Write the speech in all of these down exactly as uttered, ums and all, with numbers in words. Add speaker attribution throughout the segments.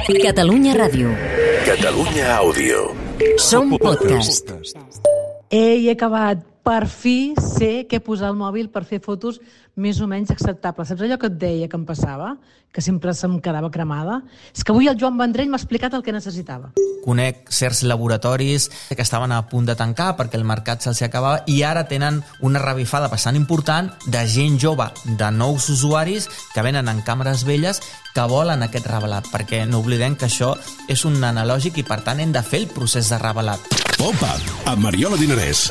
Speaker 1: Catalunya Ràdio.
Speaker 2: Catalunya Àudio.
Speaker 1: Som podcast.
Speaker 3: He acabat, per fi sé què posar al mòbil per fer fotos més o menys acceptables. Saps allò que et deia que em passava? Que sempre se'm quedava cremada? És que avui el Joan Vendrell m'ha explicat el que necessitava.
Speaker 4: Conec certs laboratoris que estaven a punt de tancar perquè el mercat se'ls acabava i ara tenen una revifada bastant important de gent jove, de nous usuaris que venen en càmeres velles que volen aquest revelat, perquè no oblidem que això és un analògic i per tant hem de fer el procés de revelat.
Speaker 2: Pop-up, amb Mariola Dinarès.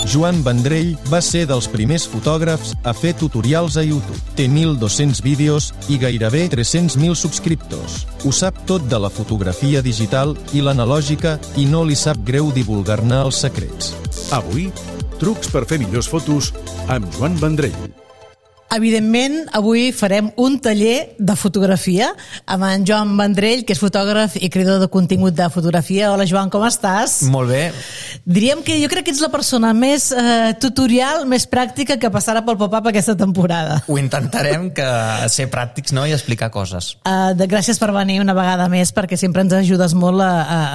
Speaker 5: Joan Vendrell va ser dels primers fotògrafs a fer tutorials a YouTube. Té mil dos-cents vídeos i gairebé tres-cents mil subscriptors. Ho sap tot de la fotografia digital i l'analògica i no li sap greu divulgar-ne els secrets.
Speaker 2: Avui, trucs per fer millors fotos amb Joan Vendrell.
Speaker 3: Evidentment, avui farem un taller de fotografia amb en Joan Vendrell, que és fotògraf i creador de contingut de fotografia. Hola, Joan, com estàs?
Speaker 4: Molt bé.
Speaker 3: Diríem que jo crec que ets la persona més eh, tutorial, més pràctica que passarà pel pop-up aquesta temporada.
Speaker 4: Ho intentarem, que ser pràctics, no?, i explicar coses.
Speaker 3: Uh, de, gràcies per venir una vegada més, perquè sempre ens ajudes molt a, a,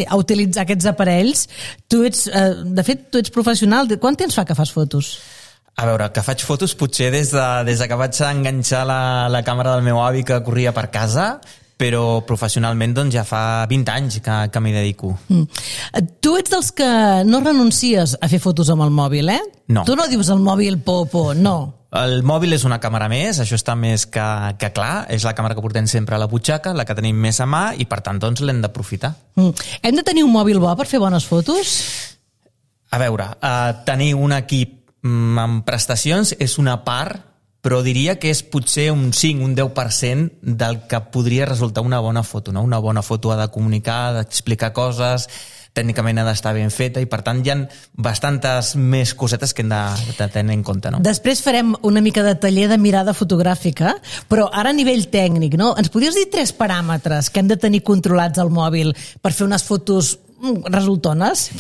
Speaker 3: a utilitzar aquests aparells. Tu ets, uh, de fet, tu ets professional. Quant temps fa que fas fotos?
Speaker 4: A veure, que faig fotos potser des de, des de que vaig enganxar la, la càmera del meu avi que corria per casa, però professionalment doncs, ja fa vint anys que, que m'hi dedico.
Speaker 3: Mm. Tu ets dels que no renuncies a fer fotos amb el mòbil, eh?
Speaker 4: No.
Speaker 3: Tu no dius el mòbil popo, no.
Speaker 4: El mòbil és una càmera més, això està més que, que clar, és la càmera que portem sempre a la butxaca, la que tenim més a mà i per tant doncs, l'hem d'aprofitar.
Speaker 3: Mm. Hem de tenir un mòbil bo per fer bones fotos?
Speaker 4: A veure, uh, tenir un equip amb prestacions és una part, però diria que és potser un cinc, un deu per cent del que podria resultar una bona foto, no? Una bona foto ha de comunicar, ha d'explicar coses, tècnicament ha d'estar ben feta i per tant hi ha bastantes més cosetes que hem de, de tenir en compte, no?
Speaker 3: Després farem una mica de taller de mirada fotogràfica, però ara a nivell tècnic, no? Ens podries dir tres paràmetres que hem de tenir controlats al mòbil per fer unes fotos resultones?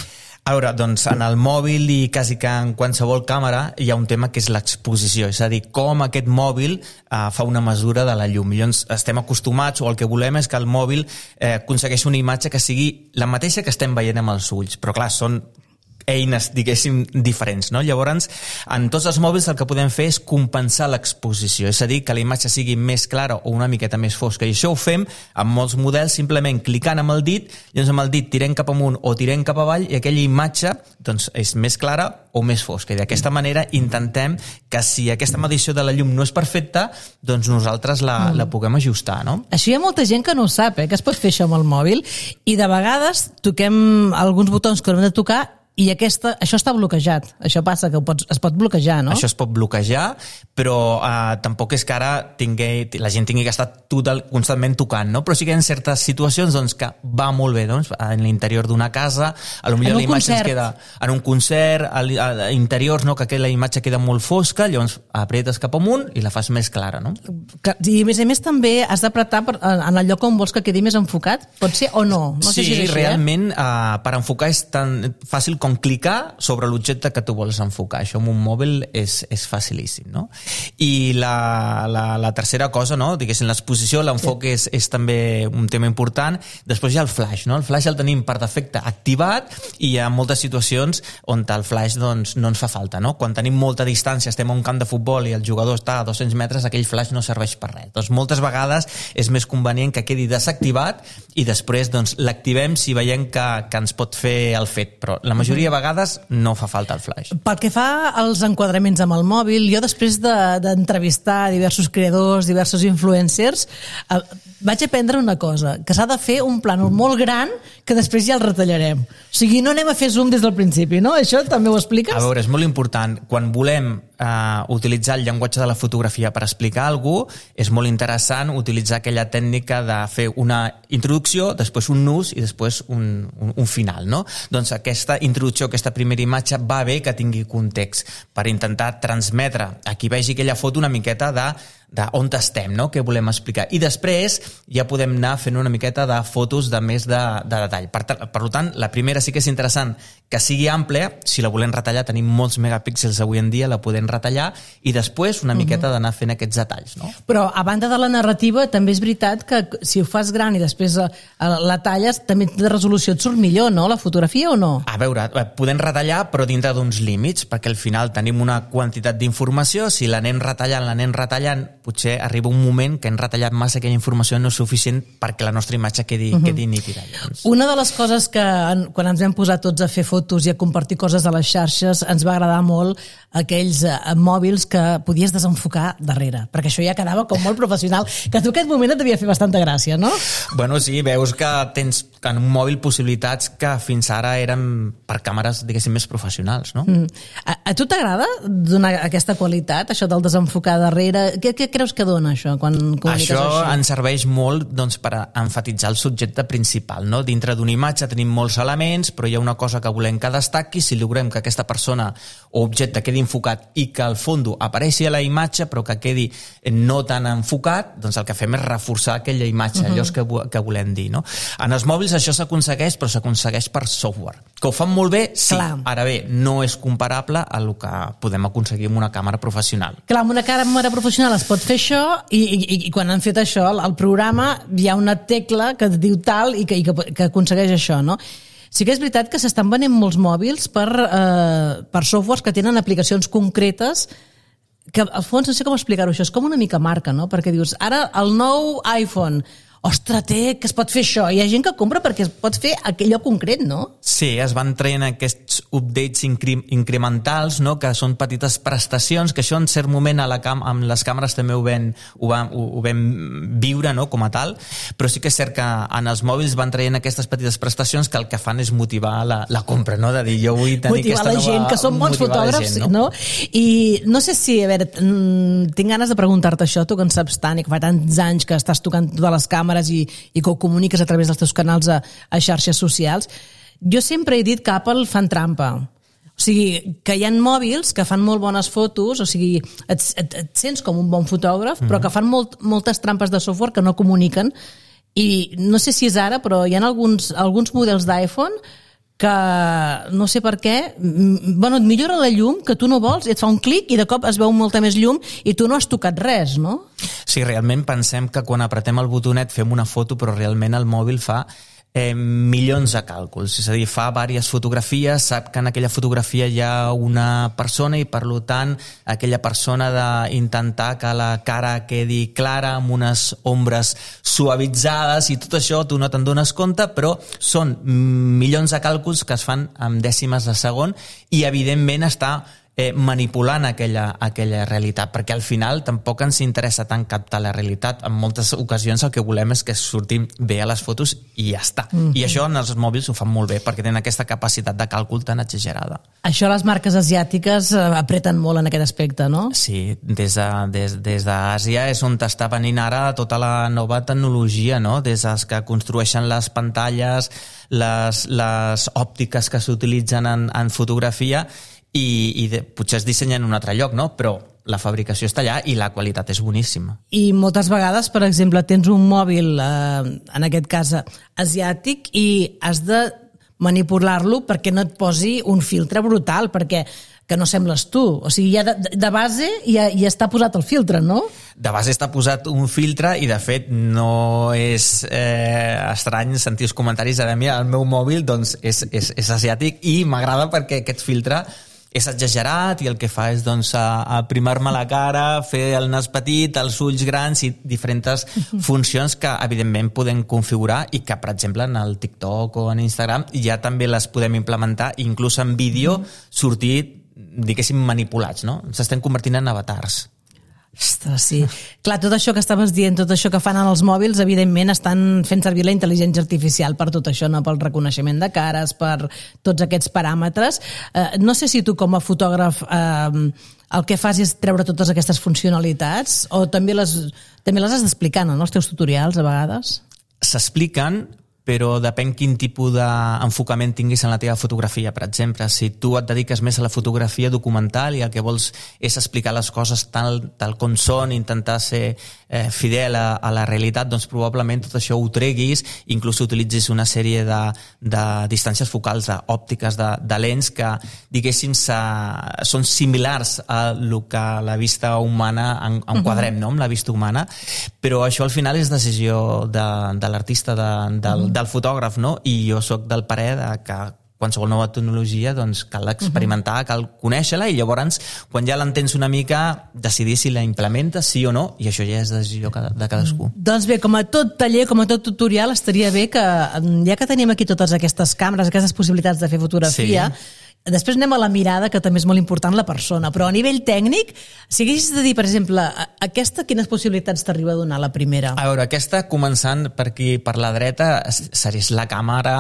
Speaker 4: A veure, doncs en el mòbil i quasi que en qualsevol càmera hi ha un tema que és l'exposició, és a dir, com aquest mòbil eh, fa una mesura de la llum. Llavors estem acostumats o el que volem és que el mòbil eh, aconsegueixi una imatge que sigui la mateixa que estem veient amb els ulls, però clar, són eines, diguéssim, diferents, no? Llavors, en tots els mòbils el que podem fer és compensar l'exposició, és a dir, que la imatge sigui més clara o una miqueta més fosca, i això ho fem amb molts models simplement clicant amb el dit, llavors amb el dit tirem cap amunt o tirem cap avall i aquella imatge doncs, és més clara o més fosca, i d'aquesta manera intentem que si aquesta medició de la llum no és perfecta, doncs nosaltres la, mm. la puguem ajustar, no?
Speaker 3: Això hi ha molta gent que no ho sap, eh? Que es pot fer això amb el mòbil, i de vegades toquem alguns botons que no hem de tocar i aquesta, això està bloquejat. Això passa, que pots, es pot bloquejar, no?
Speaker 4: Això es pot bloquejar, però eh, tampoc és que ara tingui, la gent tingui que estar total, constantment tocant, no? Però sí que hi ha certes situacions doncs, que va molt bé, doncs, en l'interior d'una casa, a lo millor la imatge ens queda en un concert, a, a interiors, no? Que la imatge queda molt fosca, llavors apretes cap amunt i la fas més clara, no?
Speaker 3: I a més a més també has d'apretar en el lloc on vols que quedi més enfocat? Pot ser o no? No sé
Speaker 4: sí,
Speaker 3: si és així,
Speaker 4: realment
Speaker 3: eh?
Speaker 4: uh, per enfocar és tan fàcil com clicar sobre l'objecte que tu vols enfocar. Això amb un mòbil és, és facilíssim, no? I la, la, la tercera cosa, no? Diguéssim, l'exposició, l'enfoc sí. és, és també un tema important. Després hi ha el flash, no? El flash el tenim per defecte activat i hi ha moltes situacions on el flash doncs, no ens fa falta, no? Quan tenim molta distància, estem a un camp de futbol i el jugador està a dos-cents metres, aquell flash no serveix per res. Doncs moltes vegades és més convenient que quedi desactivat i després doncs, l'activem si veiem que, que ens pot fer el fet, però la majoria de vegades no fa falta el flash.
Speaker 3: Pel que fa als enquadraments amb el mòbil, jo després d'entrevistar de, diversos creadors, diversos influencers, eh, vaig aprendre una cosa, que s'ha de fer un plànol molt gran que després ja el retallarem. O sigui, no anem a fer zoom des del principi, no? Això també ho expliques?
Speaker 4: A veure, és molt important. Quan volem eh, utilitzar el llenguatge de la fotografia per explicar alguna cosa, és molt interessant utilitzar aquella tècnica de fer una introducció, després un nus i després un, un, un final, no? Doncs aquesta introducció, aquesta primera imatge, va bé que tingui context per intentar transmetre a qui vegi aquella foto una miqueta de de on estem, no? Què volem explicar. I després ja podem anar fent una miqueta de fotos de més de, de detall. Per, per tant, la primera sí que és interessant que sigui àmplia, si la volem retallar, tenim molts megapíxels avui en dia, la podem retallar, i després una miqueta d'anar fent aquests detalls, no?
Speaker 3: Però, a banda de la narrativa, també és veritat que si ho fas gran i després la talles, també de resolució et surt millor, no?, la fotografia, o no?
Speaker 4: A veure, podem retallar, però dintre d'uns límits, perquè al final tenim una quantitat d'informació, si l'anem retallant, l'anem retallant, potser arriba un moment que hem retallat massa, aquella informació no és suficient perquè la nostra imatge quedi, uh-huh. quedi nítida. Llavors.
Speaker 3: Una de les coses que, quan ens vam posar tots a fer fotos i a compartir coses a les xarxes, ens va agradar molt aquells eh, mòbils que podies desenfocar darrere, perquè això ja quedava com molt professional, que a tu aquest moment et devia fer bastanta gràcia, no?
Speaker 4: Bueno, sí, veus que tens en un mòbil possibilitats que fins ara eren per càmeres, diguéssim, més professionals, no? Mm.
Speaker 3: A, a tu t'agrada donar aquesta qualitat, això del desenfocar darrere? Què, què creus que dona això quan comuniques
Speaker 4: això?
Speaker 3: Això
Speaker 4: ens serveix molt doncs, per enfatitzar el subjecte principal, no? Dintre d'una imatge tenim molts elements, però hi ha una cosa que volem que destaqui, si logrem que aquesta persona o objecte quedi enfocat i que al fons apareixi a la imatge però que quedi no tan enfocat, doncs el que fem és reforçar aquella imatge, uh-huh. allò que, que volem dir, no? En els mòbils això s'aconsegueix, però s'aconsegueix per software. Que ho fan molt bé, sí. Clar. Ara bé, no és comparable a el que podem aconseguir amb una càmera professional.
Speaker 3: Clar, amb una càmera professional es pot fer això i, i, i quan han fet això, al programa hi ha una tecla que et diu tal i que, i que, que aconsegueix això, no? Sí que és veritat que s'estan venent molts mòbils per, eh, per softwares que tenen aplicacions concretes que al fons no sé com explicar-ho, això és com una mica marca, no? Perquè dius, ara el nou iPhone, ostres, té, que es pot fer això. Hi ha gent que compra perquè es pot fer allò concret, no?
Speaker 4: Sí, es van traient aquests updates incre incrementals, no? Que són petites prestacions, que això en cert moment a la cam amb les càmeres també ho vam, ho vam, ho, ho vam viure, no? Com a tal, però sí que és cert que en els mòbils van traient aquestes petites prestacions que el que fan és motivar la, la compra, no? De dir, jo vull tenir
Speaker 3: motivar
Speaker 4: aquesta
Speaker 3: nova... Motivar la gent, que són bons fotògrafs, gent, no? no? I no sé si, a veure, tinc ganes de preguntar-te això, tu que en saps tant i que fa tants anys que estàs tocant totes les càmeres I, i que ho comuniques a través dels teus canals a, a xarxes socials. Jo sempre he dit que Apple fan trampa. O sigui, que hi ha mòbils que fan molt bones fotos, o sigui, et, et, et sents com un bon fotògraf, mm-hmm. però que fan molt, moltes trampes de software que no comuniquen. I no sé si és ara, però hi ha alguns, alguns models d'iPhone que no sé per què, bueno, et millora la llum, que tu no vols, i et fa un clic i de cop es veu molta més llum i tu no has tocat res, no?
Speaker 4: Sí, realment pensem que quan apretem el botonet fem una foto, però realment el mòbil fa eh, milions de càlculs, és a dir, fa diverses fotografies, sap que en aquella fotografia hi ha una persona i per tant aquella persona d'intentar que la cara quedi clara amb unes ombres suavitzades i tot això tu no te'n dones compte, però són milions de càlculs que es fan amb dècimes de segon i evidentment està Eh, manipulant aquella, aquella realitat, perquè al final tampoc ens interessa tant captar la realitat. En moltes ocasions el que volem és que surtin bé a les fotos i ja està. Mm-hmm. I això en els mòbils ho fan molt bé, perquè tenen aquesta capacitat de càlcul tan exagerada.
Speaker 3: Això les marques asiàtiques apreten molt en aquest aspecte, no?
Speaker 4: Sí, des de, des, des d'Àsia és on està venint ara tota la nova tecnologia, no? Des dels que construeixen les pantalles, les, les òptiques que s'utilitzen en, en fotografia, i, i de, potser es dissenya en un altre lloc, no? Però la fabricació està allà i la qualitat és boníssima.
Speaker 3: I moltes vegades, per exemple, tens un mòbil, eh, en aquest cas asiàtic, i has de manipular-lo perquè no et posi un filtre brutal, perquè que no sembles tu. O sigui, ja de, de base ja, ja està posat el filtre, no?
Speaker 4: De base està posat un filtre i, de fet, no és eh, estrany sentir els comentaris de mi, el meu mòbil doncs, és, és, és asiàtic i m'agrada perquè aquest filtre és exagerat i el que fa és doncs, aprimar-me la cara, fer el nas petit, els ulls grans i diferents funcions que evidentment podem configurar i que, per exemple, en el TikTok o en Instagram ja també les podem implementar, inclús en vídeo sortir, diguéssim, manipulats, no? S'estem convertint en avatars.
Speaker 3: Ostres, sí. Clar, tot això que estaves dient, tot això que fan en els mòbils, evidentment estan fent servir la intel·ligència artificial per tot això, no? Pel reconeixement de cares, per tots aquests paràmetres. Eh, no sé si tu com a fotògraf eh, el que fas és treure totes aquestes funcionalitats o també les, també les has d'explicar, no? En els teus tutorials, a vegades?
Speaker 4: S'expliquen, però depèn quin tipus d'enfocament tinguis en la teva fotografia. Per exemple, si tu et dediques més a la fotografia documental i el que vols és explicar les coses tal, tal com són, intentar ser eh, fidel a, a la realitat, doncs probablement tot això ho treguis, inclús utilitzis una sèrie de, de distàncies focals, d'òptiques, de, de lents que, diguéssim, són similars a el que la vista humana enquadrem, no?, amb la vista humana, però això al final és decisió de, de l'artista, de, del, del fotògraf, no? I jo sóc del parer de que qualsevol nova tecnologia doncs cal experimentar, cal conèixer-la i llavors, quan ja l'entens una mica, decidir si la implementes, sí o no, i això ja és decisió de cadascú.
Speaker 3: Doncs bé, com a tot taller, com a tot tutorial, estaria bé que, ja que tenim aquí totes aquestes càmeres, aquestes possibilitats de fer fotografia, sí. Després anem a la mirada, que també és molt important la persona, però a nivell tècnic, si haguessis de dir, per exemple, aquesta, quines possibilitats t'arriba a donar la primera?
Speaker 4: A veure, aquesta, començant per aquí, per la dreta, seria la càmera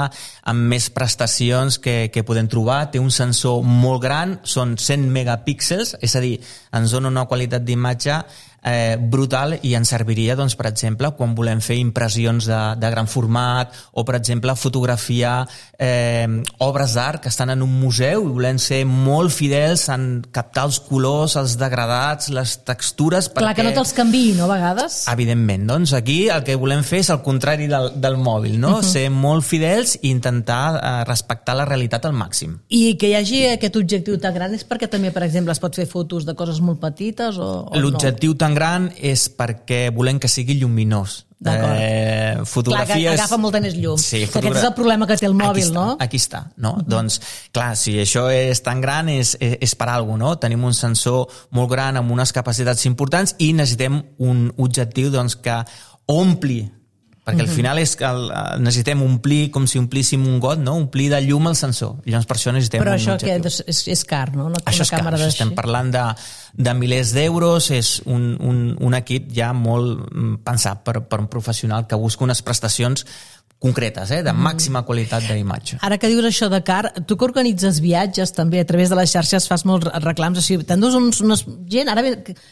Speaker 4: amb més prestacions que, que podem trobar. Té un sensor molt gran, són cent megapíxels, és a dir, ens dona una qualitat d'imatge Eh, brutal i ens serviria, doncs, per exemple, quan volem fer impressions de, de gran format o, per exemple, fotografiar eh, obres d'art que estan en un museu i volem ser molt fidels en captar els colors, els degradats, les textures...
Speaker 3: Clar, perquè... que no te'ls canviï, no, a vegades?
Speaker 4: Evidentment, doncs aquí el que volem fer és el contrari del, del mòbil, no? Uh -huh. Ser molt fidels i intentar eh, respectar la realitat al màxim.
Speaker 3: I que hi hagi aquest objectiu tan gran és perquè també, per exemple, es pot fer fotos de coses molt petites o, o
Speaker 4: l'objectiu no? tan gran és perquè volem que sigui lluminós.
Speaker 3: Eh, fotografies... Clar, que agafa molta més llum. Sí, fotogra... Aquest és el problema que té el mòbil,
Speaker 4: aquí està,
Speaker 3: no?
Speaker 4: Aquí està, no? Uh -huh. Doncs, clar, si això és tan gran és, és, és per alguna cosa, no? Tenim un sensor molt gran amb unes capacitats importants i necessitem un objectiu, doncs, que ompli, perquè al final és que el, necessitem omplir, com si omplíssim un got, no? Omplir de llum el sensor. I llavors per això necessitem
Speaker 3: Però
Speaker 4: un
Speaker 3: això
Speaker 4: objectiu.
Speaker 3: Però això és, és car, no? Una,
Speaker 4: això és
Speaker 3: una
Speaker 4: car, estem parlant de, de milers d'euros, és un, un, un equip ja molt pensat per, per un professional que busca unes prestacions concretes, eh? De màxima qualitat d'imatge.
Speaker 3: Ara que dius això de car, tu que organitzes viatges també a través de les xarxes fas molts reclams, o sigui, t'endús uns, unes gent, ara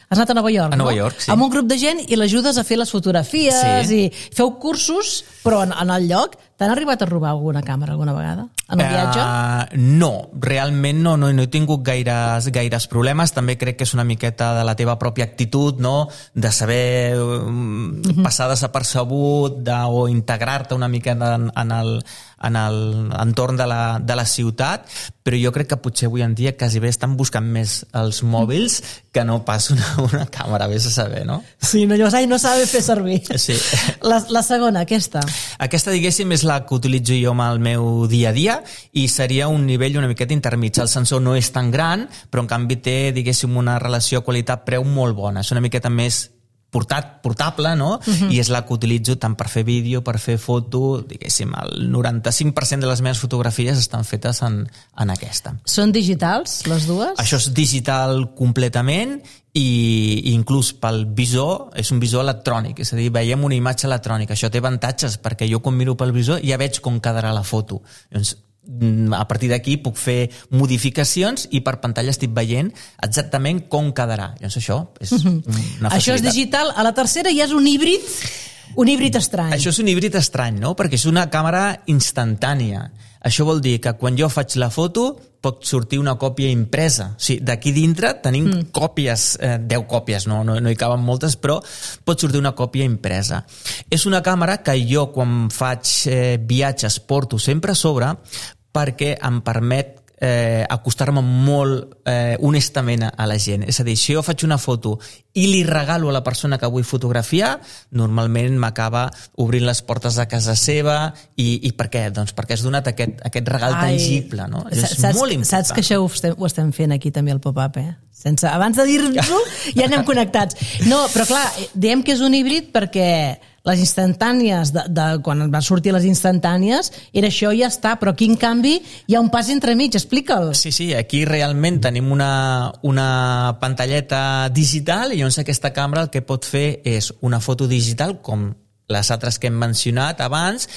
Speaker 3: has anat a Nova York,
Speaker 4: a
Speaker 3: no?
Speaker 4: Nova York, sí.
Speaker 3: Amb un grup de gent i l'ajudes a fer les fotografies
Speaker 4: sí.
Speaker 3: i feu cursos, però en, en el lloc t'han arribat a robar alguna càmera alguna vegada en el viatge?
Speaker 4: Uh, no, realment no, no, no he tingut gaires, gaires problemes. També crec que és una miqueta de la teva pròpia actitud, no? De saber um, uh-huh. passar desapercebut de, o integrar-te una mica en, en el en l'entorn de, la, de la ciutat, però jo crec que potser avui en dia quasi bé estan buscant més els mòbils que no pas una, una càmera, vés a saber, no?
Speaker 3: Sí, no, llavors, ai, no sabe fer servir.
Speaker 4: Sí.
Speaker 3: La, la segona, aquesta.
Speaker 4: Aquesta, diguéssim, és la que utilitzo jo amb el meu dia a dia i seria un nivell una miqueta intermig. El sensor no és tan gran, però en canvi té, diguéssim, una relació qualitat-preu molt bona. És una miqueta més portat, portable, no? Uh-huh. I és la que utilitzo tant per fer vídeo, per fer foto, diguéssim, el noranta-cinc per cent de les meves fotografies estan fetes en, en aquesta.
Speaker 3: Són digitals, les dues?
Speaker 4: Això és digital completament i inclús pel visor, és un visor electrònic, és a dir, veiem una imatge electrònica. Això té avantatges, perquè jo quan miro pel visor ja veig com quedarà la foto. Llavors, a partir d'aquí puc fer modificacions i per pantalla estic veient exactament com quedarà. Llavors això és una facilitat.
Speaker 3: Això és digital. A la tercera ja és un híbrid, un híbrid estrany.
Speaker 4: Això és un híbrid estrany, no? Perquè és una càmera instantània. Això vol dir que quan jo faig la foto pot sortir una còpia impresa. O sigui, d'aquí dintre tenim mm. còpies, eh, deu còpies, no, no, no hi caben moltes, però pot sortir una còpia impresa. És una càmera que jo quan faig eh, viatges porto sempre a sobre perquè em permet eh, acostar-me molt eh, honestament a la gent. És a dir, si jo faig una foto i li regalo a la persona que vull fotografiar, normalment m'acaba obrint les portes de casa seva i, i per què? Doncs perquè has donat aquest, aquest regal Ai, tangible, no? És
Speaker 3: saps,
Speaker 4: molt important.
Speaker 3: Saps que això ho estem, ho estem fent aquí també al pop-up, eh? Sense, abans de dir-nos-ho ja anem connectats. No, però clar, diem que és un híbrid perquè les instantànies, de, de, quan van sortir les instantànies, era això i ja està, però aquí en canvi hi ha un pas entremig, explica'l.
Speaker 4: Sí, sí, aquí realment tenim una, una pantalleta digital i llavors aquesta càmera el que pot fer és una foto digital com les altres que hem mencionat abans,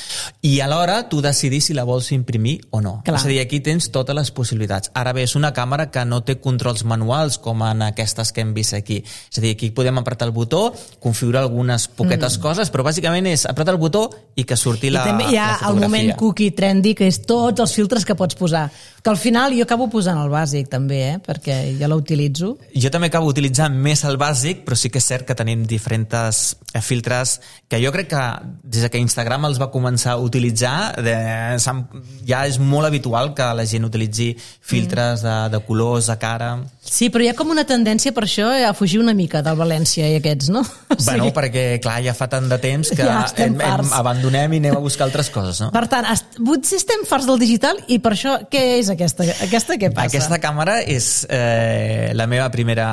Speaker 4: i alhora tu decidir si la vols imprimir o no.
Speaker 3: Clar.
Speaker 4: És a dir, aquí tens totes les possibilitats. Ara bé, és una càmera que no té controls manuals com en aquestes que hem vist aquí. És a dir, aquí podem apretar el botó, configurar algunes poquetes mm. coses, però bàsicament és apretar el botó i que surti la, la fotografia. I també hi ha el
Speaker 3: moment cookie trendy, que és tots els filtres que pots posar. Que al final jo acabo posant el bàsic també, eh? Perquè jo l'utilitzo.
Speaker 4: Jo també acabo utilitzant més el bàsic, però sí que és cert que tenim diferents filtres que jo crec que des que Instagram els va començar a utilitzar de, ja és molt habitual que la gent utilitzi filtres de, de colors, de cara...
Speaker 3: Sí, però hi ha com una tendència per això a fugir una mica del València i aquests, no? O sigui...
Speaker 4: Bueno, perquè clar, ja fa tant de temps que ja hem, hem, abandonem i anem a buscar altres coses, no?
Speaker 3: Per tant, potser estem farts del digital i per això què és aquesta? Aquesta què passa?
Speaker 4: Aquesta càmera és eh, la meva primera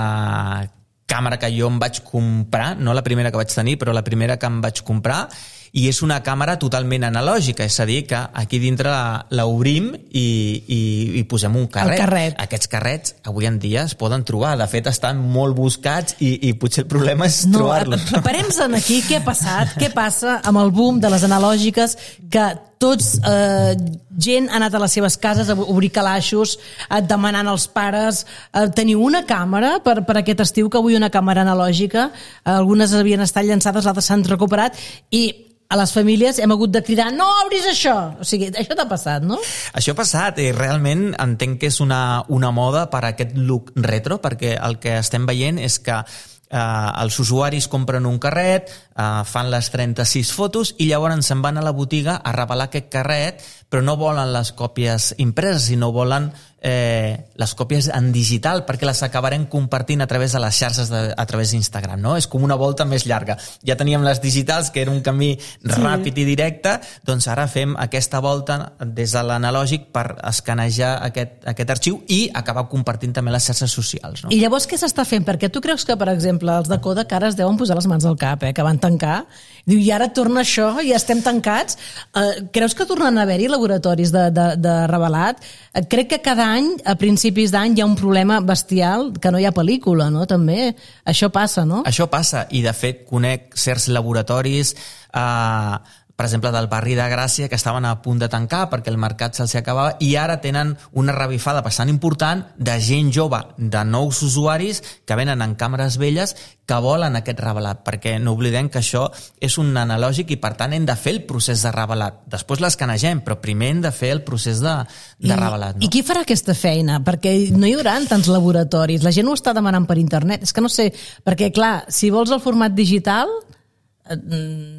Speaker 4: càmera que jo em vaig comprar, no la primera que vaig tenir, però la primera que em vaig comprar, i és una càmera totalment analògica, és a dir, que aquí dintre l'obrim i, i, i posem un carret.
Speaker 3: carret.
Speaker 4: Aquests carrets avui en dia es poden trobar, de fet estan molt buscats i, i potser el problema és
Speaker 3: no,
Speaker 4: trobar-los.
Speaker 3: Parem-se'n aquí, què ha passat? Què passa amb el boom de les analògiques que tots, eh, gent ha anat a les seves cases a obrir calaixos, eh, demanant als pares eh, teniu una càmera per, per aquest estiu, que avui una càmera analògica, eh, algunes havien estat llançades, altres s'han recuperat, i a les famílies hem hagut de cridar no obris això, o sigui, això t'ha passat, no?
Speaker 4: Això ha passat i realment entenc que és una, una moda per a aquest look retro, perquè el que estem veient és que Uh, els usuaris compren un carret, uh, fan les trenta-sis fotos i llavors se'n van a la botiga a revelar aquest carret, però no volen les còpies impreses, sinó volen eh, les còpies en digital, perquè les acabarem compartint a través de les xarxes, de, a través d'Instagram, no? És com una volta més llarga. Ja teníem les digitals, que era un camí sí. ràpid i directe, doncs ara fem aquesta volta des de l'analògic per escanejar aquest, aquest arxiu i acabar compartint també les xarxes socials, no?
Speaker 3: I llavors què s'està fent? Perquè tu creus que, per exemple, els de Kodak ara es deuen posar les mans al cap, eh? Que van tancar. Diu, i ara torna això, i ja estem tancats. Uh, creus que tornen a haver-hi laboratoris de, de, de revelat? Uh, crec que cada any, a principis d'any, hi ha un problema bestial, que no hi ha pel·lícula, no? També. Això passa, no?
Speaker 4: Això passa, i de fet conec certs laboratoris, eh, per exemple, del barri de Gràcia, que estaven a punt de tancar perquè el mercat se'ls acabava, i ara tenen una revifada bastant important de gent jove, de nous usuaris que venen en càmeres velles que volen aquest revelat, perquè no oblidem que això és un analògic i per tant hem de fer el procés de revelat. Després l'escanegem, però primer hem de fer el procés de, de
Speaker 3: I,
Speaker 4: revelat. No?
Speaker 3: I qui farà aquesta feina? Perquè no hi haurà tants laboratoris. La gent ho està demanant per internet. És que no sé, perquè clar, si vols el format digital...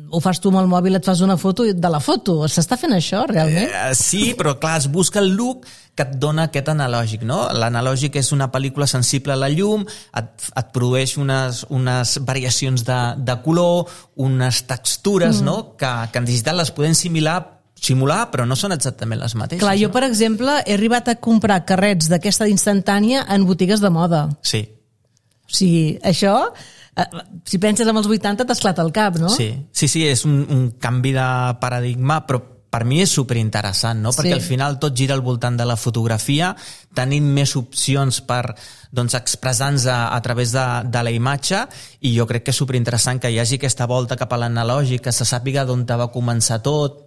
Speaker 3: ho fas tu amb el mòbil, et fas una foto de la foto. S'està fent això, realment?
Speaker 4: Eh, sí, però clar, es busca el look que et dona aquest analògic, no? L'analògic és una pel·lícula sensible a la llum, et, et produeix unes, unes variacions de, de color, unes textures, mm. no? Que, que en digital les podem simular simular, però no són exactament les mateixes.
Speaker 3: Clar, jo,
Speaker 4: no?
Speaker 3: per exemple, he arribat a comprar carrets d'aquesta instantània en botigues de moda.
Speaker 4: Sí.
Speaker 3: O sigui, això... Si penses en els vuitanta t'esclata el cap, no?
Speaker 4: Sí, sí, sí, és un, un canvi de paradigma, però per mi és superinteressant, no? Perquè sí. al final tot gira al voltant de la fotografia, tenim més opcions per doncs, expressar-nos a, a través de, de la imatge, i jo crec que és superinteressant que hi hagi aquesta volta cap a l'analògic, que se sàpiga d'on va començar tot,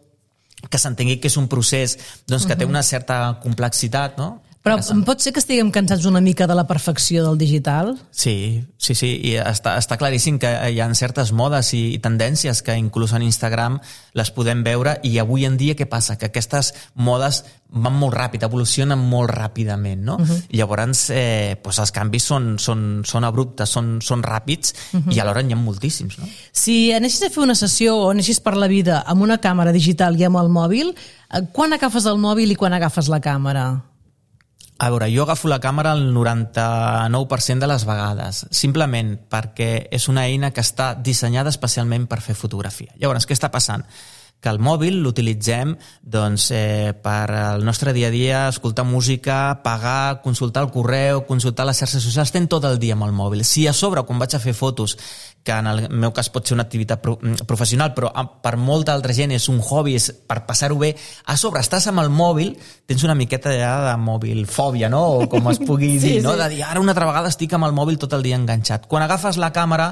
Speaker 4: que s'entengui que és un procés doncs, que uh-huh. té una certa complexitat, no?
Speaker 3: Però pot ser que estiguem cansats una mica de la perfecció del digital?
Speaker 4: Sí, sí, sí, i està, està claríssim que hi ha certes modes i, i tendències que inclús en Instagram les podem veure, i avui en dia què passa? Que aquestes modes van molt ràpid, evolucionen molt ràpidament, no? Uh-huh. Llavors, eh, doncs els canvis són, són, són abruptes, són, són ràpids, uh-huh. i alhora n'hi ha moltíssims, no?
Speaker 3: Si anessis a fer una sessió o anessis per la vida amb una càmera digital i amb el mòbil, quan agafes el mòbil i quan agafes la càmera?
Speaker 4: A veure, jo agafo la càmera el noranta-nou per cent de les vegades, simplement perquè és una eina que està dissenyada especialment per fer fotografia. Llavors, què està passant? Que el mòbil l'utilitzem doncs, eh, per al nostre dia a dia, escoltar música, pagar, consultar el correu, consultar les xarxes socials, estem tot el dia amb el mòbil. Si a sobre, quan vaig a fer fotos, que en el meu cas pot ser una activitat pro professional, però per molta altra gent és un hobby, és per passar-ho bé, a sobre estàs amb el mòbil, tens una miqueta ja de mòbilfòbia, no? O com es pugui dir, sí, no? Sí. De dir, ara una altra vegada estic amb el mòbil tot el dia enganxat. Quan agafes la càmera,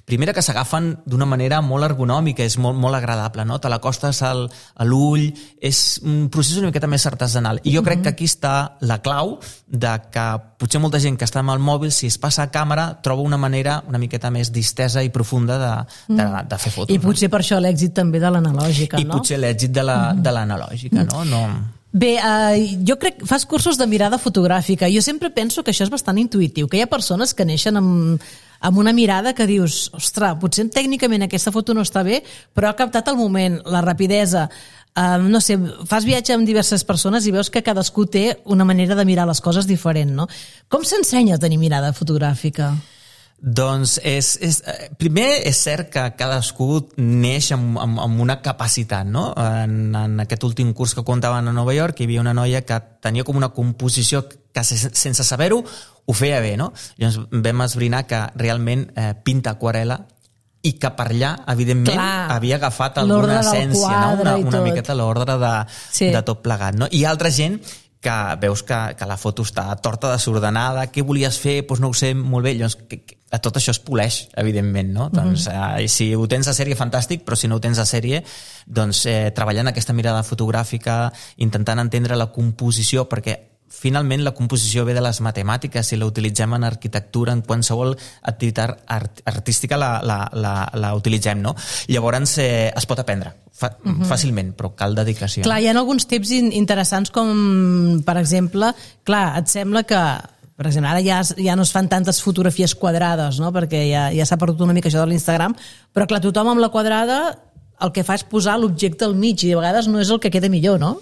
Speaker 4: primera que s'agafen d'una manera molt ergonòmica, és molt, molt agradable, no? Te l'acostes al, a l'ull, és un procés una miqueta més artesanal. I jo crec que aquí està la clau de que potser molta gent que està amb el mòbil, si es passa a càmera, troba una manera una miqueta més distesa i profunda de, de, de fer fotos.
Speaker 3: I potser per això l'èxit també de l'analògica, no?
Speaker 4: I potser l'èxit de la, de l'analògica, no? no...
Speaker 3: Bé, eh, jo crec que fas cursos de mirada fotogràfica. Jo sempre penso que això és bastant intuïtiu, que hi ha persones que neixen amb, amb una mirada que dius, ostres, potser tècnicament aquesta foto no està bé, però ha captat el moment, la rapidesa. Eh, no sé, fas viatge amb diverses persones i veus que cadascú té una manera de mirar les coses diferent, no? Com s'ensenya a tenir mirada fotogràfica?
Speaker 4: Doncs és, és, primer és cert que cadascú neix amb, amb, amb una capacitat, no? En, en aquest últim curs que comptaven a Nova York hi havia una noia que tenia com una composició que sense saber-ho ho feia bé, no? Llavors vam esbrinar que realment eh, pinta aquarel·la i que per allà, evidentment,
Speaker 3: Clar,
Speaker 4: havia agafat alguna essència, no? Una, una miqueta l'ordre de,
Speaker 3: sí.
Speaker 4: de tot plegat, no? I altra gent que veus que, que la foto està torta, desordenada, què volies fer? Doncs no ho sé molt bé. Llavors, que, que, tot això es poleix, evidentment, no? Mm-hmm. Doncs, eh, si ho tens a sèrie, fantàstic, però si no ho tens a sèrie, doncs eh, treballant aquesta mirada fotogràfica, intentant entendre la composició, perquè finalment la composició ve de les matemàtiques i la utilitzem en arquitectura, en qualsevol activitat art artística la, la, la, la utilitzem, no? Llavors eh, es pot aprendre fa, uh-huh. fàcilment, però cal dedicació.
Speaker 3: Clar, hi ha alguns tips interessants com, per exemple, clar, et sembla que per exemple, ara ja, ja no es fan tantes fotografies quadrades, no? Perquè ja, ja s'ha perdut una mica això de l'Instagram, però clar, tothom amb la quadrada el que fa és posar l'objecte al mig i a vegades no és el que queda millor, no?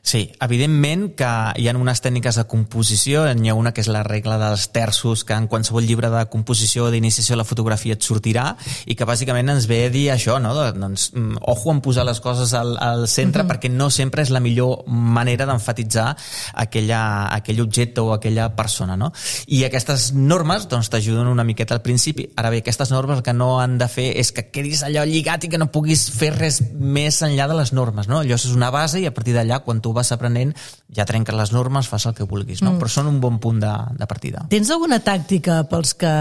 Speaker 4: Sí, evidentment que hi ha unes tècniques de composició, n'hi ha una que és la regla dels terços, que en qualsevol llibre de composició o d'iniciació de la fotografia et sortirà i que bàsicament ens ve a dir això, no? Doncs, ojo en posar les coses al, al centre uh-huh. perquè no sempre és la millor manera d'emfatitzar aquella, aquell objecte o aquella persona, no? I aquestes normes doncs, t'ajuden una miqueta al principi. Ara bé, aquestes normes el que no han de fer és que quedis allò lligat i que no puguis fer res més enllà de les normes, no? Allò és una base i a partir d'allà, quan tu vas aprenent, ja trenques les normes, fas el que vulguis, no? Mm. Però són un bon punt de, de partida.
Speaker 3: Tens alguna tàctica pels que,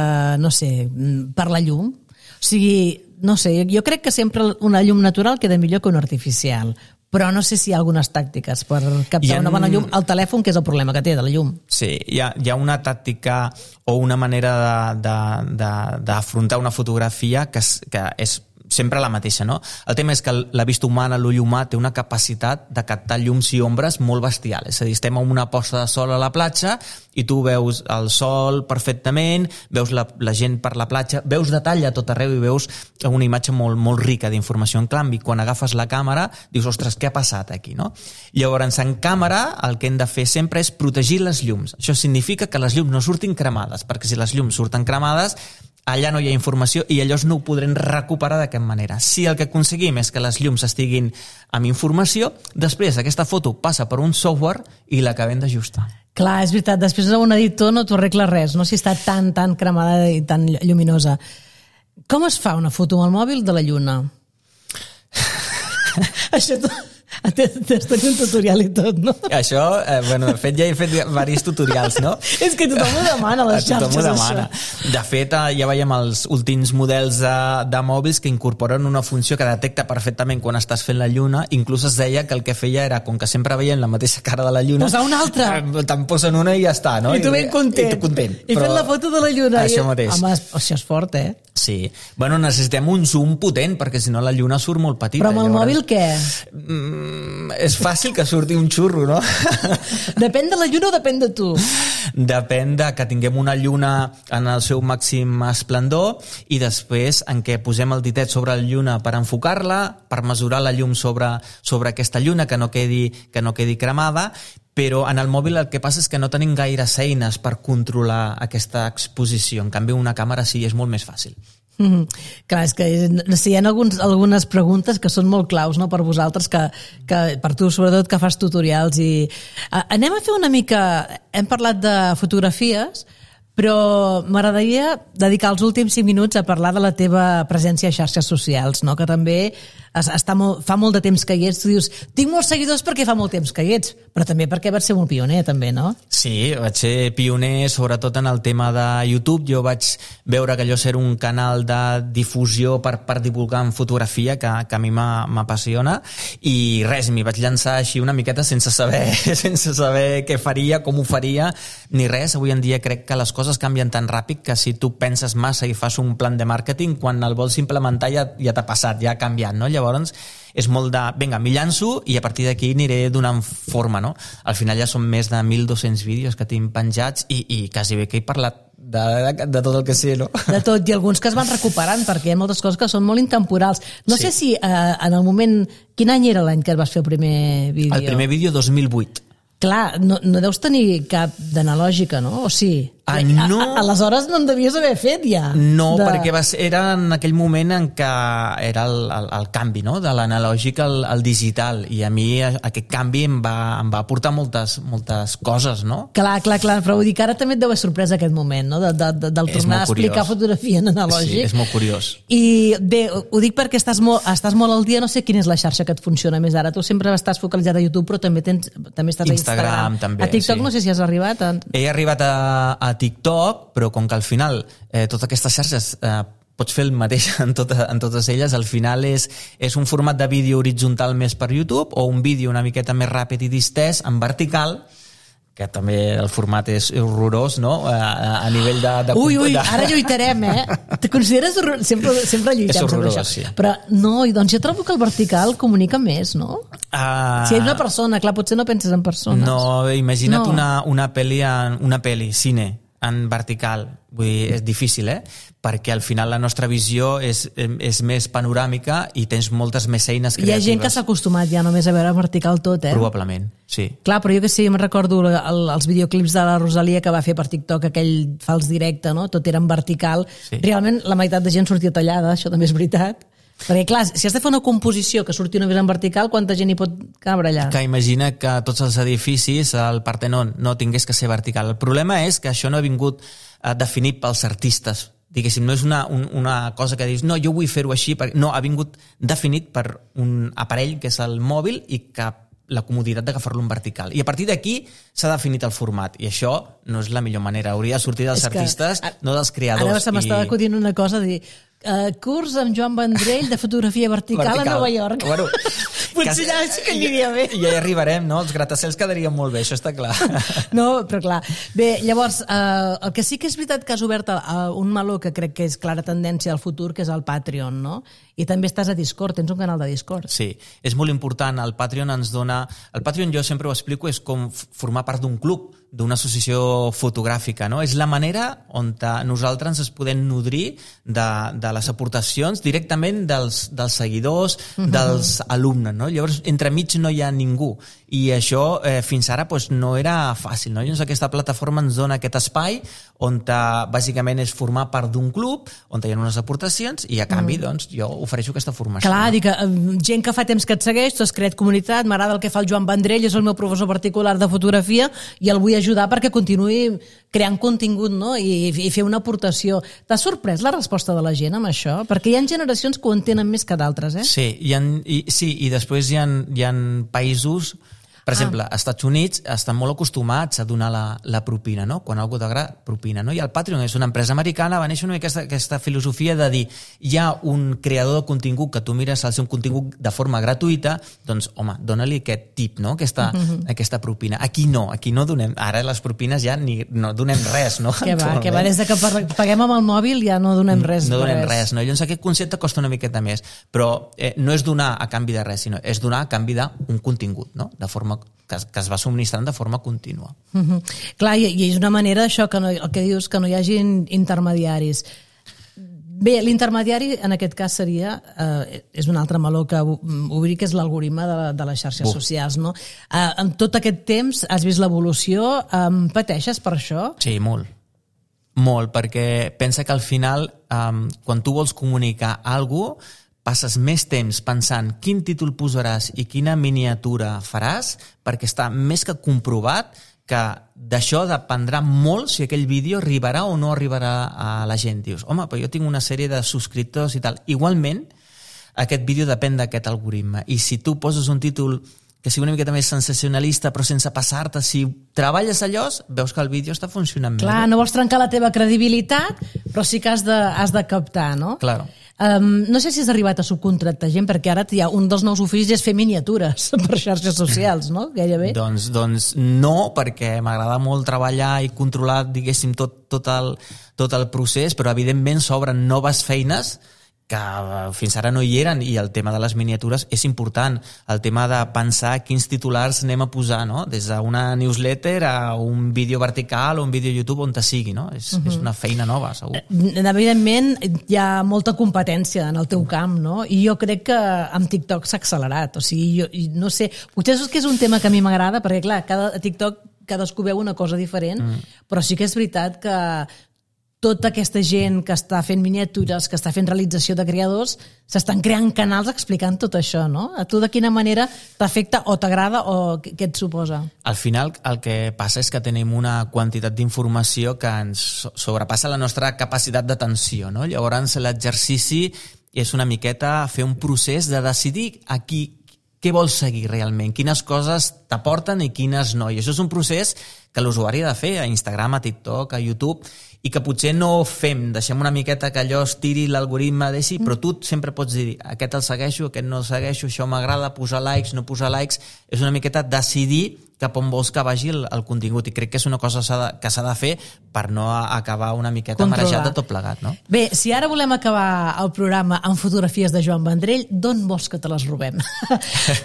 Speaker 3: no sé, per la llum? O sigui, no sé, jo crec que sempre una llum natural queda millor que una artificial, però no sé si hi ha algunes tàctiques per captar ha... una bona llum. El telèfon, que és el problema que té de la llum.
Speaker 4: Sí, hi ha, hi ha una tàctica o una manera d'afrontar una fotografia que és, que és sempre la mateixa, no? El tema és que la vista humana, l'ull humà, té una capacitat de captar llums i ombres molt bestial. És a dir, estem en una posta de sol a la platja i tu veus el sol perfectament, veus la, la gent per la platja, veus detall a tot arreu i veus una imatge molt, molt rica d'informació. En canvi, quan agafes la càmera, dius, ostres, què ha passat aquí, no? Llavors, en càmera, el que hem de fer sempre és protegir les llums. Això significa que les llums no surtin cremades, perquè si les llums surten cremades, allà no hi ha informació i llavors no ho podrem recuperar de cap manera. Si el que aconseguim és que les llums estiguin amb informació, després aquesta foto passa per un software i l'acabem d'ajustar.
Speaker 3: Clar, és veritat, després un editor no t'ho arregla res, no? Si està tan, tan cremada i tan lluminosa. Com es fa una foto amb el mòbil de la lluna? Això t'has tenir un tutorial i tot, no?
Speaker 4: Això, eh, bueno, de fet ja he fet diversos tutorials, no?
Speaker 3: És que tothom ho demana a les xarxes,
Speaker 4: tothom ho demana.
Speaker 3: això.
Speaker 4: De fet, ja veiem els últims models de, de mòbils que incorporen una funció que detecta perfectament quan estàs fent la lluna. Inclús es deia que el que feia era, com que sempre veiem la mateixa cara de la lluna...
Speaker 3: Posar una altra!
Speaker 4: Te'n posen una i ja està, no?
Speaker 3: I tu ben content.
Speaker 4: I tu content.
Speaker 3: I fent la foto de la lluna.
Speaker 4: Això
Speaker 3: i...
Speaker 4: mateix.
Speaker 3: Home, això és fort, eh?
Speaker 4: Sí. Bueno, necessitem un zoom potent, perquè si no la lluna surt molt petita.
Speaker 3: Però amb el
Speaker 4: llavors...
Speaker 3: mòbil què?
Speaker 4: Mm, és fàcil que surti un xurro, no?
Speaker 3: Depèn de la lluna o depèn de tu?
Speaker 4: Depèn de que tinguem una lluna en el seu màxim esplendor i després en què posem el ditet sobre la lluna per enfocar-la, per mesurar la llum sobre, sobre aquesta lluna, que no quedi, que no quedi cremada, però en el mòbil el que passa és que no tenim gaires eines per controlar aquesta exposició. En canvi, una càmera sí, és molt més fàcil.
Speaker 3: Mm-hmm. Clar, és que sí, hi ha alguns, algunes preguntes que són molt claus, no?, per vosaltres, que, que per tu sobretot que fas tutorials i... Uh, anem a fer una mica... Hem parlat de fotografies, però m'agradaria dedicar els últims cinc minuts a parlar de la teva presència a xarxes socials, no?, que també està molt, fa molt de temps que hi ets, tu dius, tinc molts seguidors perquè fa molt temps que hi ets, però també perquè vas ser molt pioner, també, no?
Speaker 4: Sí, vaig ser pioner, sobretot en el tema de YouTube. Jo vaig veure que allò era un canal de difusió per, per divulgar en fotografia que, que a mi m'apassiona, i res, m'hi vaig llançar així una miqueta sense saber, sense saber què faria, com ho faria, ni res. Avui en dia crec que les coses canvien tan ràpid que si tu penses massa i fas un plan de màrqueting, quan el vols implementar ja, ja t'ha passat, ja ha canviat, no? Llavors és molt de, vinga, m'hi llanço i a partir d'aquí aniré donant forma, no? Al final ja són més de mil dos-cents vídeos que tinc penjats i, i quasi bé que he parlat de, de, de tot el que sé, no?
Speaker 3: De tot, i alguns que es van recuperant, perquè hi ha moltes coses que són molt intemporals. No sí. sé si eh, en el moment... Quin any era l'any que vas fer el primer vídeo?
Speaker 4: El primer vídeo dos mil vuit.
Speaker 3: Clar, no, no deus tenir cap d'analògica, no? O sí?
Speaker 4: Ah, no.
Speaker 3: A, aleshores no en devies haver fet ja.
Speaker 4: No,
Speaker 3: de...
Speaker 4: perquè va ser, era en aquell moment en què era el, el, el canvi, no? De l'analògic al, al digital, i a mi aquest canvi em va, em va aportar moltes, moltes coses, no?
Speaker 3: Clar, clar, clar, però vull dir que ara també et deu haver sorprès aquest moment, no? De, de, de, del tornar a explicar curiós. Fotografia en analògic.
Speaker 4: Sí, és molt curiós.
Speaker 3: I bé, ho dic perquè estàs molt, estàs molt al dia, no sé quina és la xarxa que et funciona més ara. Tu sempre estàs focalitzat a YouTube, però també, tens, també estàs
Speaker 4: Instagram,
Speaker 3: a Instagram.
Speaker 4: També,
Speaker 3: a TikTok
Speaker 4: sí.
Speaker 3: No sé si has arribat. A...
Speaker 4: He arribat a, a TikTok, però com que al final eh, totes aquestes xarxes eh, pots fer el mateix en, tota, en totes elles, al final és, és un format de vídeo horitzontal més per YouTube o un vídeo una miqueta més ràpid i distès en vertical, que també el format és horrorós, no? A, a nivell de... de
Speaker 3: ui, ui, ara lluitarem, eh? Te consideres horrorós? Sempre, sempre lluitem sobre això.
Speaker 4: Sí.
Speaker 3: Però no, i doncs jo trobo que el vertical comunica més, no?
Speaker 4: Uh,
Speaker 3: si hi ha una persona, clar, potser no penses en persones.
Speaker 4: No, imagina't
Speaker 3: no.
Speaker 4: una, una pel·li, en, una pel·li, cine, en vertical. Vull dir, és difícil, eh? Perquè al final la nostra visió és, és més panoràmica i tens moltes més eines creatives.
Speaker 3: Hi ha gent que s'ha acostumat ja només a veure vertical tot, eh?
Speaker 4: Probablement, sí.
Speaker 3: Clar, però jo que sé, jo me'n recordo el, els videoclips de la Rosalia que va fer per TikTok, aquell fals directe, no? Tot era en vertical. Sí. Realment la meitat de gent sortia tallada, això també és veritat. Perquè, clar, si has de fer una composició que surti només en vertical, quanta gent hi pot cabre allà?
Speaker 4: Que imagina que tots els edificis, el Partenon, no tingués que ser vertical. El problema és que això no ha vingut eh, definit pels artistes. Diguéssim, no és una, un, una cosa que dius, no, jo vull fer-ho així. Perquè... No, ha vingut definit per un aparell que és el mòbil i que la comoditat d'agafar-lo en vertical. I a partir d'aquí s'ha definit el format. I això no és la millor manera. Hauria de sortir dels és artistes, que, no dels creadors.
Speaker 3: Ara se m'estava i... acudint una cosa de dir uh, curs amb Joan Vendrell de fotografia vertical, vertical. a Nova York.
Speaker 4: Bueno,
Speaker 3: potser ja sí que aniria bé.
Speaker 4: I ja hi arribarem, no? Els gratacels quedarien molt bé, això està clar.
Speaker 3: No, però clar. Bé, llavors, uh, el que sí que és veritat que has obert uh, un meló que crec que és clara tendència al futur, que és el Patreon, no? I també estàs a Discord, tens un canal de Discord.
Speaker 4: Sí, és molt important. El Patreon ens dona... El Patreon, jo sempre ho explico, és com formar part d'un club, d'una associació fotogràfica, no? És la manera on nosaltres ens podem nodrir de, de les aportacions directament dels, dels seguidors, uh-huh. dels alumnes, no? Llavors, entremig no hi ha ningú. I això eh, fins ara pues, no era fàcil, no? Llavors, aquesta plataforma ens dona aquest espai on bàsicament és formar part d'un club, on hi ha unes aportacions i a canvi, mm. doncs, jo ofereixo aquesta formació.
Speaker 3: Clar, dic, gent que fa temps que et segueix, tu has creat comunitat, m'agrada el que fa el Joan Vendrell, és el meu professor particular de fotografia i el vull ajudar perquè continuï creant contingut, no? I, i fer una aportació. T'ha sorprès la resposta de la gent amb això? Perquè hi ha generacions que ho entenen més que d'altres, eh?
Speaker 4: Sí, hi ha, i, sí, i després hi ha, hi ha països... Per exemple, als Estats Units estan molt acostumats a donar la, la propina, no? Quan algú t'agrada, propina, no? I el Patreon és una empresa americana, va néixer una mica aquesta, aquesta filosofia de dir hi ha un creador de contingut que tu mires el seu contingut de forma gratuïta, doncs, home, dona-li aquest tip, no? Aquesta, uh-huh. aquesta propina. Aquí no, aquí no donem... Ara les propines ja ni, no donem res, no?
Speaker 3: Que va, que va, des de que paguem amb el mòbil ja no donem res.
Speaker 4: No donem
Speaker 3: res,
Speaker 4: res no? Llavors aquest concepte costa una miqueta més, però eh, no és donar a canvi de res, sinó és donar a canvi d'un contingut, no? De forma que es, que es va subministrant de forma contínua.
Speaker 3: Uh-huh. Clar, i, i és una manera això que no, el que dius, que no hi hagi intermediaris. Bé, l'intermediari en aquest cas seria, eh, és un altre meló que obrir, que és l'algoritme de, de les xarxes uh. socials, no? Eh, en tot aquest temps has vist l'evolució, eh, pateixes per això?
Speaker 4: Sí, molt. Molt, perquè pensa que al final, eh, quan tu vols comunicar alguna cosa, passes més temps pensant quin títol posaràs i quina miniatura faràs, perquè està més que comprovat que d'això dependrà molt si aquell vídeo arribarà o no arribarà a la gent. Dius, home, però jo tinc una sèrie de subscriptors i tal. Igualment, aquest vídeo depèn d'aquest algoritme. I si tu poses un títol que sigui una miqueta més sensacionalista, però sense passar-te, si treballes allò, veus que el vídeo està funcionant
Speaker 3: Clar,
Speaker 4: bé.
Speaker 3: no vols trencar la teva credibilitat, però sí que has de, has de captar, no?
Speaker 4: Claro.
Speaker 3: Um, no sé si has arribat a subcontractar gent, perquè ara ja un dels nous oficis és fer miniatures per xarxes socials, no? Gairebé.
Speaker 4: Doncs, doncs no, perquè m'agrada molt treballar i controlar, diguéssim, tot, tot, el, tot el procés, però evidentment s'obren noves feines que fins ara no hi eren, i el tema de les miniatures és important, el tema de pensar quins titulars anem a posar, no? Des d'una newsletter a un vídeo vertical o un vídeo YouTube on te sigui, no? És, uh-huh. és una feina nova, segur.
Speaker 3: Evidentment hi ha molta competència en el teu camp, no? I jo crec que amb TikTok s'ha accelerat, o sigui, jo, no sé, potser és que és un tema que a mi m'agrada, perquè clar, cada, a TikTok cadascú veu una cosa diferent, mm. però sí que és veritat que tota aquesta gent que està fent miniatures, que està fent realització de creadors, s'estan creant canals explicant tot això, no? A tu de quina manera t'afecta o t'agrada o què et suposa?
Speaker 4: Al final el que passa és que tenim una quantitat d'informació que ens sobrepassa la nostra capacitat d'atenció, no? Llavors l'exercici és una miqueta fer un procés de decidir a qui què vols seguir realment, quines coses t'aporten i quines no. I això és un procés que l'usuari ha de fer a Instagram, a TikTok, a YouTube, i que potser no fem, deixem una miqueta que allò es tiri l'algoritme, deixi, però tu sempre pots dir, aquest el segueixo, aquest no el segueixo, això m'agrada, posar likes, no posar likes, és una miqueta decidir cap on vols que vagi el, el contingut, i crec que és una cosa s'ha de, que s'ha de fer per no acabar una miqueta
Speaker 3: Controlar.
Speaker 4: marejat de tot plegat, no?
Speaker 3: Bé, si ara volem acabar el programa amb fotografies de Joan Vendrell, d'on vols que te les robem?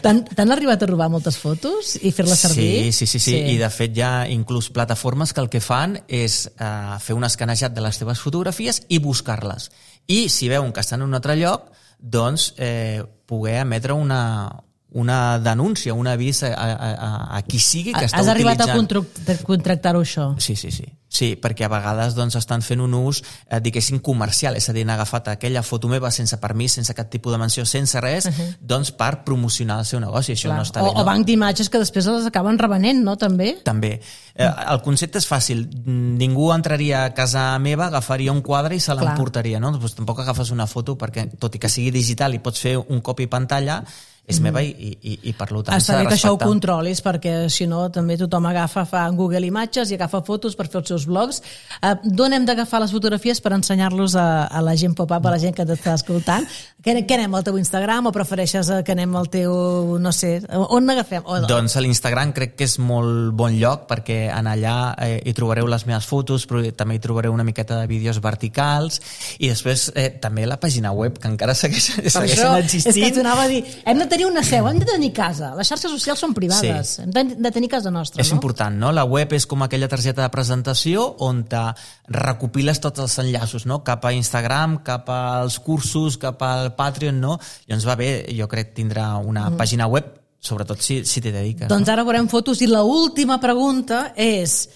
Speaker 3: T'han arribat a robar moltes fotos i fer-les servir?
Speaker 4: Sí, sí, sí, sí, i de fet hi ha inclús plataformes que el que fan és uh, fer un escanejat de les teves fotografies i buscar-les. I si veuen que estan en un altre lloc, doncs eh, poder emetre una, una denúncia, un avís a, a, a, a qui sigui que està
Speaker 3: Has
Speaker 4: utilitzant.
Speaker 3: arribat a contract- contractar-ho, això?
Speaker 4: Sí, sí, sí. Sí, perquè a vegades doncs, estan fent un ús, eh, diguéssim, comercial, és a dir, han agafat aquella foto meva sense permís, sense cap tipus de menció, sense res, uh-huh. doncs per promocionar el seu negoci. Això
Speaker 3: Clar.
Speaker 4: no està
Speaker 3: o,
Speaker 4: bé, no?
Speaker 3: O banc d'imatges que després les acaben revenent, no? També?
Speaker 4: També. Eh, el concepte és fàcil. Ningú entraria a casa meva, agafaria un quadre i se l'emportaria, no? Doncs tampoc agafes una foto perquè, tot i que sigui digital i pots fer un copy pantalla, és mm. meva i, i, i per tant
Speaker 3: Està
Speaker 4: s'ha de
Speaker 3: bé que això ho
Speaker 4: respectar.
Speaker 3: controlis, perquè si no també tothom agafa, fa en Google Imatges i agafa fotos per fer els seus blogs. Uh, D'on hem d'agafar les fotografies per ensenyar-los a, a la gent pop-up, a la gent que t'està escoltant? Que, que anem al teu Instagram o prefereixes que anem al teu, no sé, on n'agafem? O...
Speaker 4: Doncs a l'Instagram crec que és molt bon lloc, perquè en allà eh, hi trobareu les meves fotos, però també hi trobareu una miqueta de vídeos verticals, i després eh, també la pàgina web, que encara segueix, segueixen existint.
Speaker 3: És que t'anava a dir, hem de tenir una seu, hem de tenir casa. Les xarxes socials són privades. Sí. Hem de, de tenir casa nostra,
Speaker 4: és
Speaker 3: no?
Speaker 4: És important, no? La web és com aquella targeta de presentació on te recopiles tots els enllaços, no? Cap a Instagram, cap als cursos, cap al Patreon, no? I ens va bé, jo crec, tindrà una mm. pàgina web, sobretot si, si t'hi dediques.
Speaker 3: Doncs
Speaker 4: no?
Speaker 3: ara veurem fotos, i l'última pregunta és,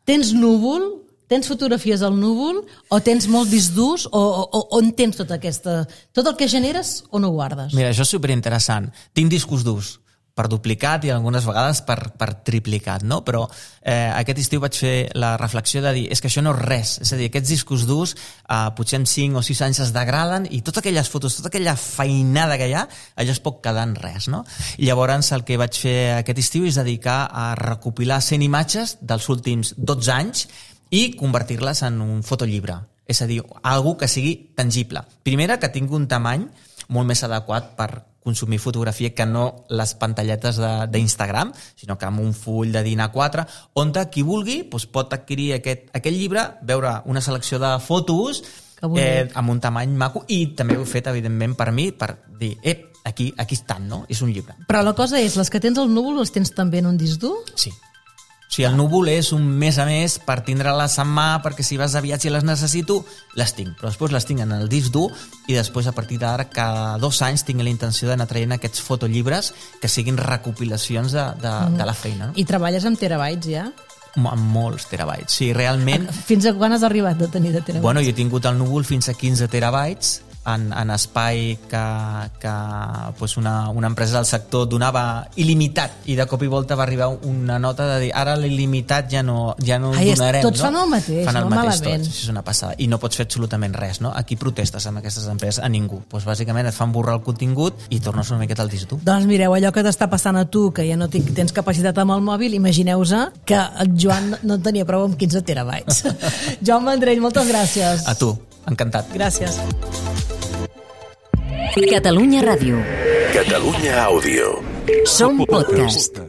Speaker 3: tens núvol? Tens fotografies al núvol o tens molt disc durs o, o on tens tota aquesta... Tot el que generes o no ho guardes?
Speaker 4: Mira, això és superinteressant. Tinc discos durs per duplicat i algunes vegades per, per triplicat, no? Però eh, aquest estiu vaig fer la reflexió de dir és que això no és res, és a dir, aquests discos durs eh, potser en cinc o sis anys es degraden i totes aquelles fotos, tota aquella feinada que hi ha, allò es pot quedar en res, no? I llavors el que vaig fer aquest estiu és dedicar a recopilar cent imatges dels últims dotze anys i convertir-les en un fotollibre. És a dir, algo que sigui tangible. Primera, que tingui un tamany molt més adequat per consumir fotografia que no les pantalletes d'Instagram, sinó que amb un full de dinar quatre, on qui vulgui doncs pot adquirir aquest, aquest llibre, veure una selecció de fotos eh, amb un tamany maco, i també ho he fet, evidentment, per mi, per dir, eh, aquí, aquí estan, no? És un llibre.
Speaker 3: Però la cosa és, les que tens al núvol les tens també en un disc dur?
Speaker 4: Sí. O sigui, el núvol és un mes a més per tindre-les en mà, perquè si vas de viatge i les necessito, les tinc. Però després les tinc en el disc dur i després, a partir d'ara, cada dos anys tinc la intenció d'anar traient aquests fotollibres que siguin recopilacions de, de, mm. de la feina. No?
Speaker 3: I treballes amb terabytes, ja?
Speaker 4: Amb molts terabytes. Sí, realment...
Speaker 3: Fins a quan has arribat de tenir de terabytes?
Speaker 4: Bueno, jo he tingut el núvol fins a quinze terabytes, en, en espai que, que pues una, una empresa del sector donava il·limitat i de cop i volta va arribar una nota de dir ara l'il·limitat ja no, ja no
Speaker 3: Ai,
Speaker 4: donarem.
Speaker 3: Tots
Speaker 4: no?
Speaker 3: fan el mateix,
Speaker 4: fan el
Speaker 3: no
Speaker 4: mateix
Speaker 3: malament.
Speaker 4: Tots, és una passada. I no pots fer absolutament res, no? Aquí protestes amb aquestes empreses? A ningú. Pues bàsicament et fan borrar el contingut i tornes una miqueta al disc dur.
Speaker 3: Doncs mireu, allò que t'està passant a tu, que ja no tens capacitat amb el mòbil, imagineu-vos que el Joan no en tenia prou amb quinze terabytes. Joan Vendrell, moltes gràcies.
Speaker 4: A tu, encantat.
Speaker 3: Gràcies.
Speaker 1: Catalunya Ràdio.
Speaker 6: Catalunya Àudio.
Speaker 1: Som podcast.